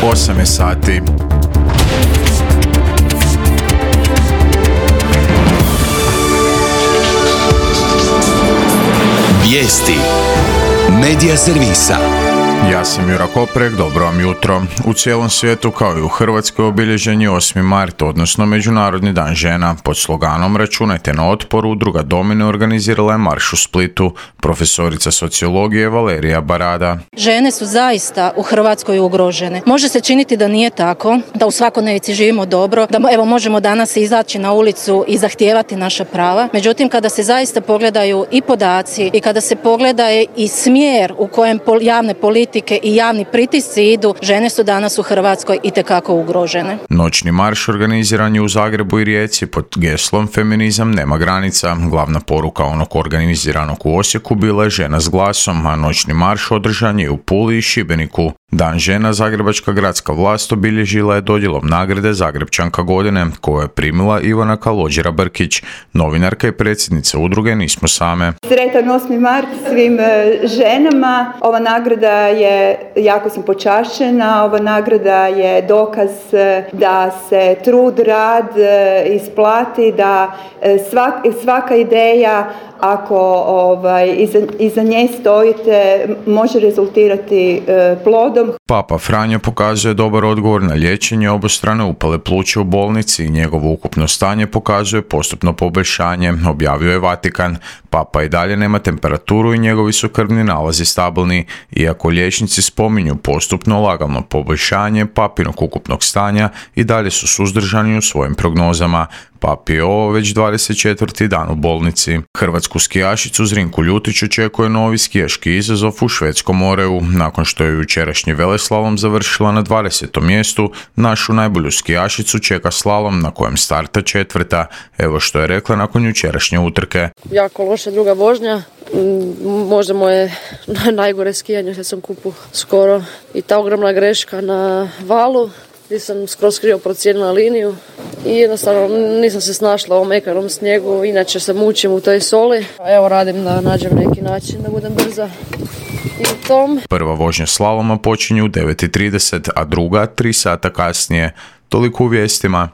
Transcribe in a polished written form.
8 je sati. Vijesti Medija servisa. Ja sam Jura Koprek, dobro vam jutro. U cijelom svijetu kao i u Hrvatskoj obilježen je 8. mart, odnosno Međunarodni dan žena. Pod sloganom Računajte na otpor, udruga Domine organizirala je marš u Splitu. Profesorica sociologije Valerija Barada. Žene su zaista u Hrvatskoj ugrožene. Može se činiti da nije tako, da u svakodnevici živimo dobro, da evo možemo danas izaći na ulicu i zahtijevati naša prava. Međutim, kada se zaista pogledaju i podaci i kada se pogleda i smjer u kojem javne politike i javni pritisci idu, žene su danas u Hrvatskoj itekako ugrožene. Noćni marš organiziran je u Zagrebu i Rijeci pod geslom Feminizam nema granica. Glavna poruka onog organiziranog u Osijeku bila je Žena s glasom, a noćni marš održan je u Puli i Šibeniku. Dan žena zagrebačka gradska vlast obilježila je dodjelom nagrade Zagrebčanka godine, koju je primila Ivana Kalođera-Brkić, novinarka i predsjednica udruge Nismo same. Sretan 8. mart svim ženama. Ova nagrada je, jako sam počašćena, ova nagrada je dokaz da se trud, rad isplati, da svaka ideja, ako iza nje stojite, može rezultirati plodom. Papa Franjo pokazuje dobar odgovor na liječenje obostrane upale pluća u bolnici i njegovo ukupno stanje pokazuje postupno poboljšanje, objavio je Vatikan. Papa i dalje nema temperaturu i njegovi su krvni nalazi stabilni. Iako liječnici spominju postupno lagano poboljšanje papinog ukupnog stanja, i dalje su suzdržani u svojim prognozama. Papi je ovo već 24. dan u bolnici. Hrvatsku skijašicu Zrinku Ljutić očekuje novi skijaški izazov u Švedskom Oreu. Nakon što je jučerašnji veleslalom završila na 20. mjestu, našu najbolju skijašicu čeka slalom na kojem starta 4. Evo što je rekla nakon jučerašnje utrke. Jako loša druga vožnja. Možda moje najgore skijanje što sam kupu skoro. I ta ogromna greška na valu gdje sam skroz krivo procijenila liniju i jednostavno nisam se snašla u ovom mekanom snijegu, inače se mučim u toj soli. Evo radim da nađem neki način da budem brza i u tom. Prva vožnja slaloma počinje u 9:30, a druga 3 sata kasnije. Toliko u vijestima.